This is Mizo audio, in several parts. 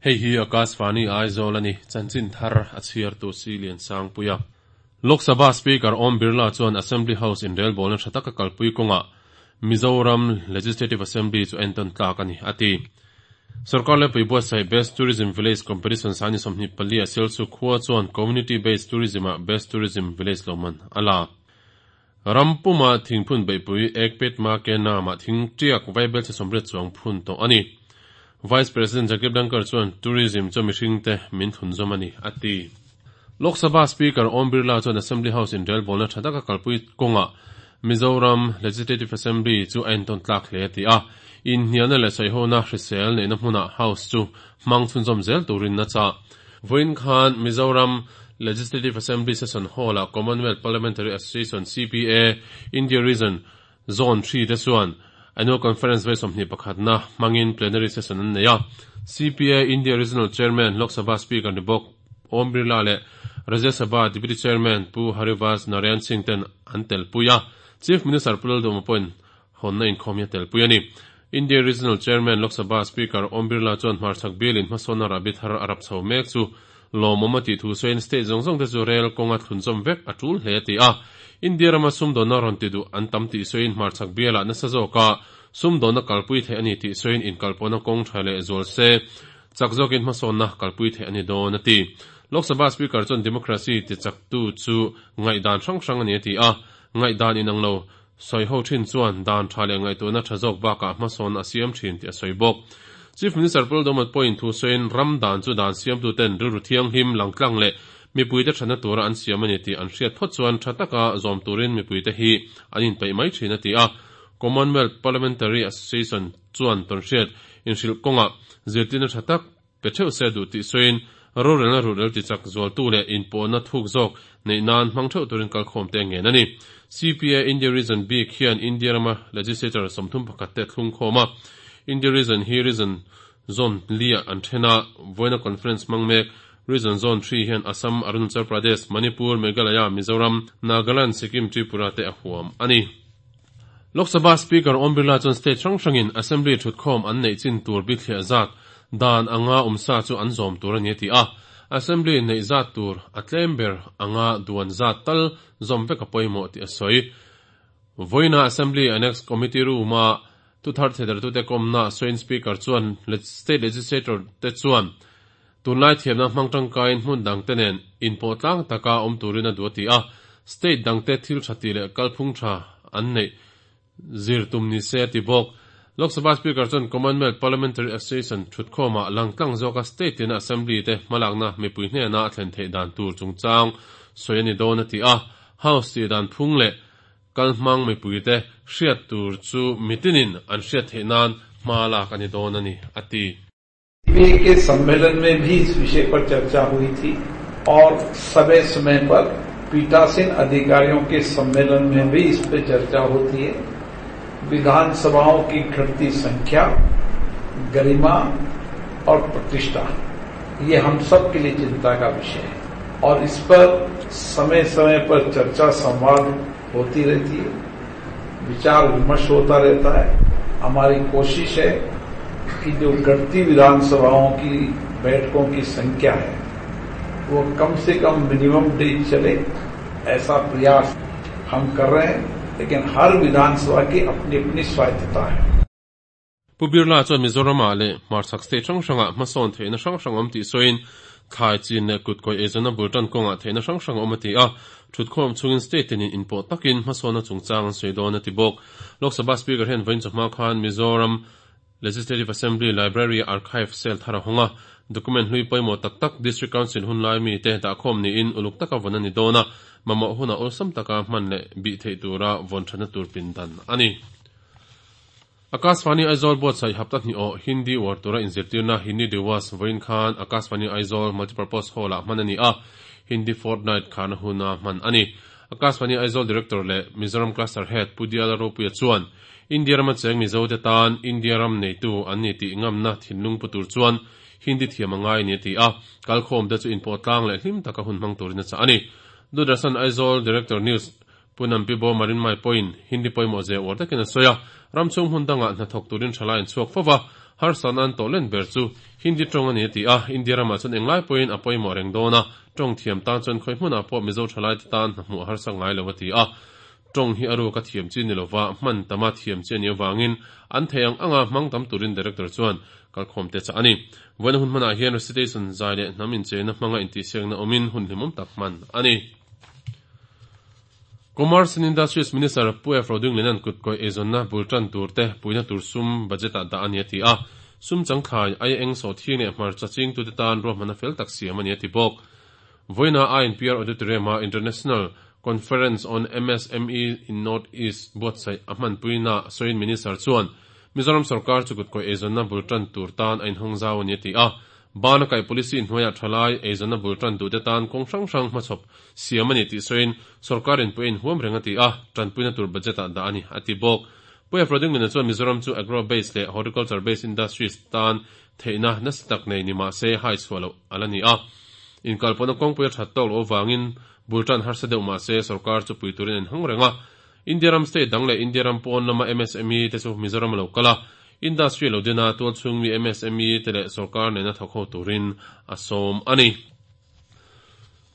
Hei hi Akashvani Aizawl a ni, chanchin thar a chhiartu Silian Sangpuia. Lok Sabha Speaker Om Birla chuan Assembly House inrelbawlna tha taka kalpui kawngah Mizoram Legislative Assembly chu entawn tlak a ni, a ti. Sorkar lepui buatsaih Best Tourism Village Competition sani 24 a Sialsuk khua chuan Community Based Tourism-ah Best Tourism Village lawmman a la. Ram puma thingphun beihpui Ek Pet Ma Ke Naam-ah thing tiak vaibelchhe 80 chuang phun tawh a ni. Vice President Jagdeep Dhankhar chuan Tourism chu mihringte min thunzawm a ni, a ti. Lok Sabha Speaker Om Birla chuan Assembly House inrelbawlna tha taka kalpui kawngah Mizoram Legislative Assembly chu a entawn tlak hle a ti a. Inhnialna leh sawihona hrisel neihna hmunah House chu hmang chhunzawm zel turin a chah. Vawiin khan Mizoram Legislative Assembly Session Hall-ah Commonwealth Parliamentary Association, CPA, India Region Zone 3 te chuan Annual Conference vawi 21 na hmangin Plenary Session an nei a. CPA India Regional Chairman, Lok Sabha Speaker ni bawk Om Birla leh Rajya Sabha Deputy Chairman Pu Harivansh Narayan Singh ten an telpui a. Chief Minister Pu Lalduhoma pawhin hawnna inkhawm hi a telpui a ni. India Regional Chairman, Lok Sabha Speaker Om Birla chuan hmarchhak bialin hmasawnna rahbi thar a rap chho mek chu lawmawm a tih thu sawiin state zawng zawng te chu rel kawnga thlunzawm vek a tul hle a ti a. India rama sumdawnna rawn ti duh an tam tih sawiin hmarchhak bialah nasa zawka sumdawnna kalpui theih a ni tih sawiin inkalpawhna kawng tha leh zual se chak zawkin hmasawnna kalpui theih a ni dawn a ti. Lok Sabha Speaker chuan democracy ti chaktu chu ngaihdan hrang hrang a ni a ti a, ngaihdan inang lo Sawi ho thin chuan dan tha leh ngaihtuahna tha zawk bakah hmasawn a siam thin tih a sawi bawk. Chief Minister Pu Lalduhmawt pawhin thu sawiin ram dan chu dan siamtuten rilru thianghlim, langtlang leh mipuite thatna tura an siam a ni tih an hriat phawt chuan tha taka zawm turin mipuite hi an inpeih mai thin a ti a. Commonwealth Parliamentary Association chuan tawnhriat inhrilh kawngah zirtirna tha tak pe theuh se duh tih sawiin rorelna ruhrel tichak zualtu leh inpawhna thuk zawk neih nan hmang theuh turin kalkhawm te ngen a ni. CPA India Region bik hian India rama legislator 31 te thlung khawm a. India Region hi Region Zone li-ah an then a, vawiina conference hmang mek Region Zone 3 hian Assam, Arunachal Pradesh, Manipur, Meghalaya, Mizoram, Nagaland, Sikkim, Tripura te a huam a ni. Lok Sabha Speaker Om Birla chuan state hrang hrangin Assembly thutkhawm an neih chin tur bithliah zat dan anga awmsa chu an zawm tur a ni a ti a. Assembly neih zat tur a tlem ber anga duan zat tal zawm vek a pawimawh tih a sawi. Vawiina Assembly Annex Committee Room-a thuthar theidartute kawmna sawiin Speaker chuan State Legislator te chuan tunlai thiamna hmang tangkaiin hmun dangte nen inpawh tlang taka awm turin a duh a ti a, state dangte thil tha tih leh kalphung tha an neih zir tum ni se a ti bawk. Lok Sabha Speaker chuan Commonwealth Parliamentary Association thutkhawmah langtlang zawka state tina Assembly te hmalakna mipui hnena a thlen theih dan tur chungchang sawi a ni dawn a ti a, House tih dan phung leh kalhmang mipuite hriat tur chu mitinin an hriat theih nan hma lak a ni dawn a ni a ti. के सम्मेलन में भी इस विषय पर चर्चा हुई थी और समय समय पर पीठासीन अधिकारियों के सम्मेलन में भी इस पर चर्चा होती है। विधानसभाओं की घटती संख्या, गरिमा और प्रतिष्ठा, ये हम सब के लिए चिंता का विषय है और इस पर समय समय पर चर्चा संवाद होती रहती है, विचार विमर्श होता रहता है। हमारी कोशिश है कि जो घटती विधानसभाओं की बैठकों की संख्या है वो कम से कम मिनिमम डेज चले, ऐसा प्रयास हम कर रहे हैं, लेकिन हर विधानसभा की अपनी अपनी स्वायत्तता है। Pu Birla chuan Mizoramah leh hmarchhak state hrang hrangah hmasawn theihna hrang hrang awm tih sawiin thlai chin leh kutkawih eizawnna bul tan kawngah theihna hrang hrang awm a ti a, thutkhawm chungin state tinin inpawh takin hmasawnna chungchang an sawi dawn a ti bawk. Lok Sabha Speaker hian vawiin chawhma khan Mizoram Legislative Assembly Library Archive Cell thar a hawng a, document hlui pawimawh tak tak District Council hun lai mite dahkhawm niin uluk taka vawn a ni dawn a, mamawh hunah awlsam taka hman leh bih theih tura vawn thatna tur pindan a ni. Akashvani Aizawl buatsaih hapta hnih awh Hindi uar tura inzirtirna Hindi Diwas vawiin khan Akashvani Aizawl Multipurpose Hall-ah hman a ni a, Hindi Fortnight kharna huna hman a ni. Akashvani Aizawl Director leh Mizoram Cluster Head Pu Diala Ropuia chuan India rama cheng Mizote tan India ram neitu an ni tih ngamna thinlung pu tur chuan Hindi thiam a ngai ni a ti a, kalkhawmte chu inpawh tlang leh hlim taka hun hmang turin a chah a ni. Doordarshan Aizawl Director News Pu Nampi Bo Marin Mai pawhin Hindi pawimawh zia uar takin a sawi a, ram chhung hmun dangah hnathawk turin thalai an chhuak fo va, Harsatna an tawh len ber chu Hindi tawng a ni a ti a, India ramah chuan englai pawhin a pawimawh reng dawn a, tawng thiam tan chuan khawi hmunah pawh Mizo thalaite tan hna hmuh a harsa ngai lo a ti a. Tawng hi a ruak a thiam chi ni lova, hman tama thiam chi a nih avangin an theih ang anga hmang tam turin Director chuan kalkhawmte chah a ni. Vawiina hun hmanah hian recitation zai leh hnam incheina hmanga intihsiakna awmin hun hlimawm tak hman a ni. Commerce and Industries Minister Pu F. Rodingliana'n kutkawih eizawnna bul tan tur te puihna tur sum budget ah dah a ni a ti a. Sum changthlai, aia eng sawhthing leh hmarcha chingtute tan ruahmanna fel tak siam a ni a ti bawk. Vawiina INPR Auditorium a International Conference on MSME in North East buatsaih a hmanpuina sawiin Minister chuan Mizoram sorkar chu kutkawih eizawnna bul tan tur tan a inhawng zau a ni a ti a. Bana kaih policy hnuaiah thalai eizawnna bul tan duhte tan kawng hrang hrang hmachhawp siam a ni tih sawiin sorkar inpui a inhuam reng a ti a, tanpuina tur budget ah dah a ni a ti bawk. Pu Efrodinglina chuan Mizoram chu agro based leh horticulture based industries tan theihna nasa tak nei ni mah se hai chhuah loh a la ni a. Inkalpawhna kawngpui a that tawk loh avangin bul tan harsa deuh mah se sorkar chu pui turin a inhawng reng a. India ram state dang leh India ram pawn lama MSME te chu Mizoram a lo kal a, industry lo din a, tualchhung mi MSME te leh sorkar nena thawk ho turin a sawm a ni.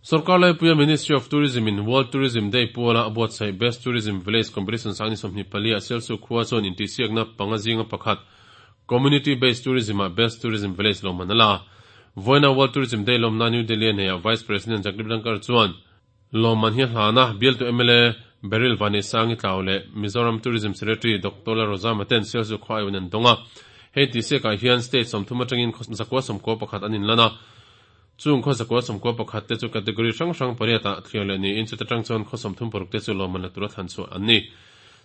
Sorkar laipuia Ministry of Tourism in World Tourism Day puala a buatsaih Best Tourism Village Competition 2024 ah Sialsuk khua chuan intihsiakna panga zinga pakhat Community Based Tourism ah Best Tourism Village lawmman a la. Vawiina World Tourism Day lawmna New Delhi a neiah Vice President Jagdeep Dhankhar chuan Lawmman hi a hlan a, bialtu mla Baryl Vaneisangi Tlau leh Mizoram Tourism Secretary Doctor Lalrozama ten Sialsuk khua aiawin an dawng a. Hei tihsiakah hian state 30 atangin khaw zakua 11 an inlan a. Chung khaw zakua 11 te chu category hrang hrang pariat ah thliar leh niin chuta tang chuan khaw 36 te chu lawmman la tura thlan chhuah an ni.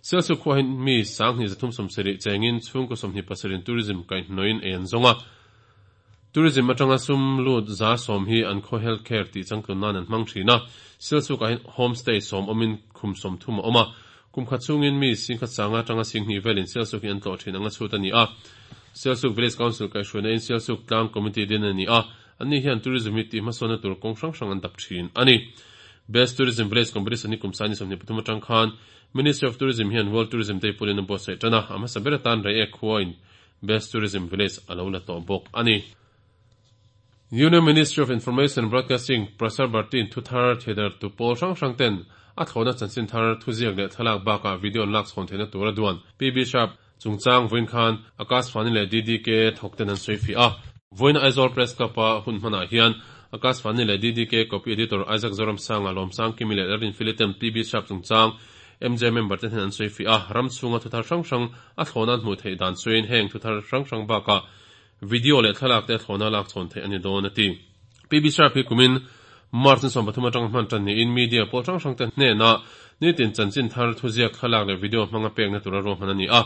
Sialsuk khua hi mi 2370 chengin chhungkaw 27 in tourism kaihhnawhin ei an zawng a. Tourism atanga sum lut 10% hi an khaw health care tih changtlun nan an hmang thin a. Sialsukah hian home stay 10 awmin khum 30 a awm a. Kum khat chhungin mi singkhat sanga atanga singhnih velin Sialsuk hi an tlawh thin anga chhut a ni a. Sialsuk Village Council kaihhruaina in Sialsuk tlang committee din a ni a. Anni hian tourism hi tih hmasawnna tur kawng hrang hrang an dap thin a ni. Best Tourism Village Competition hi kum 2023 atang khan Ministry of Tourism hian World Tourism Day pawhin a buatsaih tan a. A hmasa ber atan Reiek khua in Best Tourism Village a lo la tawh bawk a ni. Union Ministry of Information and Broadcasting, Prasar Bharti-in thu thar theidartu pawl hrang hrang ten a thlawhna chanchin thar thuziak leh thlalak bakah video an lak chhawn theihna tur a duan. PB Sharp chungchang vawiin khan Akashvani leh DDK thawk ten an sawi fiah a. Vawiina Aizawl Press Club-a hun hmanah hian Akashvani leh DDK Copy Editor Isaac Zoramsanga, Lawmsangkimi leh Lalrinfili ten PB Sharp chungchang MJ member te hnen an sawi fiah a. Ram chhunga thu thar hrang hrang A thlawhna an hmuh theih dan chuin heng thu thar hrang hrang bakah video leh thlalak te a thlawhna lak chhawn theih a ni dawn a ti. PB Sharp hi kumin March ni 13 atanga hman tan niin media pawl hrang hrang te hnenah nitin chanchin thar thuziak thlalak leh video hmanga pekna tura ruahman a ni a.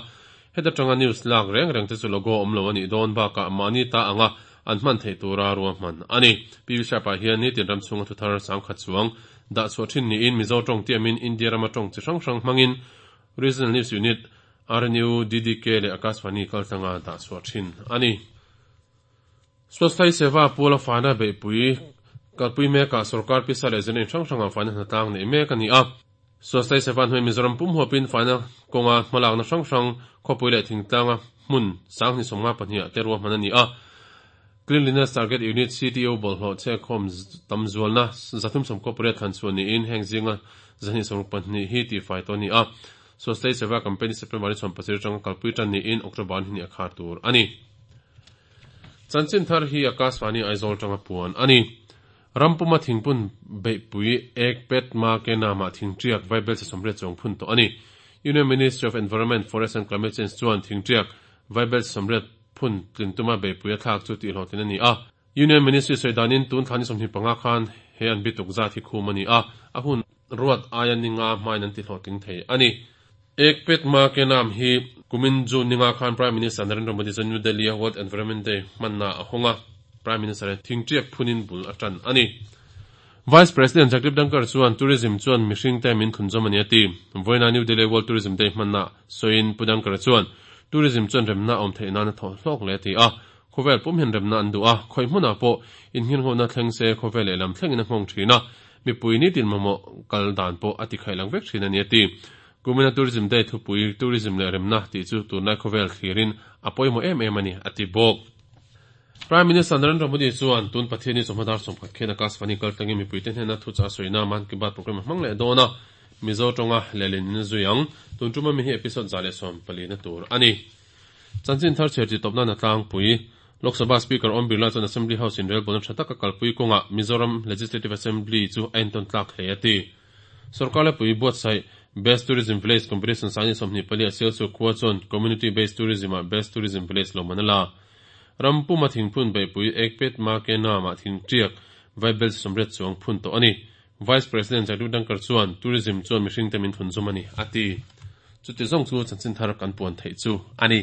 Heta tanga news lak reng reng te chu logo awm lo a nih dawn bakah mahni ta anga an hman theih tura ruahman a ni. PB Sharp ah hian nitin ram chhunga thu thar sangkhat chuang dah chhuah thin niin Mizo tawng tiamin India rama tawng chi hrang hrang hmangin Regional News Unit, RNU, DDK leh Akashvani kaltlanga dah chhuah thin a ni. Swasthai Seva Puala faina beihpui kalpui mekah sorkar pisa leh zirna in hrang hrangah faina hnatlang neih mek a ni a. Swasthai Seva hnuai Mizoram pum huapin faina kawnga hmalakna hrang hrang khawpui leh thingtlanga hmun 2052 ah te ruahman a ni a. Cleanliness Target Unit, CTU, bawlhhlawh chhekkhawm tam zualna 318 thlan chhuah niin heng zinga 262 hi tihfai tawh a ni a. Swasthai Seva Campaign hi September ni 17 atanga kalpui tan niin October ni hnih a khar tur a ni. Chanchin thar hi Akashvani Aizawl atanga puan a ni. Rampuma thingpun beihpui ek pet ma ke namah thingtiak vaibelchhe 80 chuang phun tawh a ni. Union Ministry of Environment, Forest and Climate Change chuan thingtiak vaibelchhe 80 phun tlin tuma beihpui a thlak chu tihhlawhtlin a ni a. Union Ministry sawi danin tun thla ni 25 khan he an bituk zat hi khum a ni a, a hun ruat aia ni nga hmain an tihlawhtling thei a ni. Ek Pet Ma Ke Naam hi kumin June ni nga khan Prime Minister Narendra Modi chuan New Delhi a World Environment Day hmanna a hawng a, Prime Minister hian thingtiak phunin bul a tan a ni. Vice President Jagdeep Dhankhar chuan Tourism chuan mihringte min thlunzawm a ni a ti. Vawiina New Delhi World Tourism Day hmanna sawiin Pu Dhankhar chuan Tourism chuan remna a awm theih nan a thawh hlawk hle a ti a. Khawvel pum hian remna an duh a, khawi hmunah pawh innghinghawhna thleng se khawvel lehlam thlengin a nghawng thin a, mipui nitin mamawh kal dan pawh a tikhaih lang vek thin a ni a ti. Kumina Tourism Day thupui Tourism leh Remna tih chu tunlai khawvel thlirin a pawimawh em em a ni, a ti bawk. Prime Minister Narendra Modi chuan tun Pathianni chawhma dar 30 khian Akashvani kaltlangin mipuite hnena thuchah a sawina Mann Ki Baat programme a hmang leh dawn a, Mizo tawnga lehlin in a zui ang. Tun tuma mi hi episode 114 na tur a ni. Chanchin thar chhiar tih tawp nan a tlangpui. Lok Sabha Speaker Om Birla chuan Assembly House in relbawlna tha taka kalpui kawngah Mizoram Legislative Assembly chu a entawn tlak hle a ti. Sorkar lepui buatsaih Best Tourism Village Competition Sangni 24 a Sialsuk khua chuan Community Based Tourism ah Best Tourism Village lawmman a la. Ram puma thingphun beihpui Ekpet Ma Ke Naam ah thingtiak vaibel 80 chuang phun tawh a ni. Vice President Jagdeep Dhankhar chuan Tourism chuan mihringte min thun zum a ni, a ti. Chuti zawng chu chanchin thar kan puan theih chu a ni.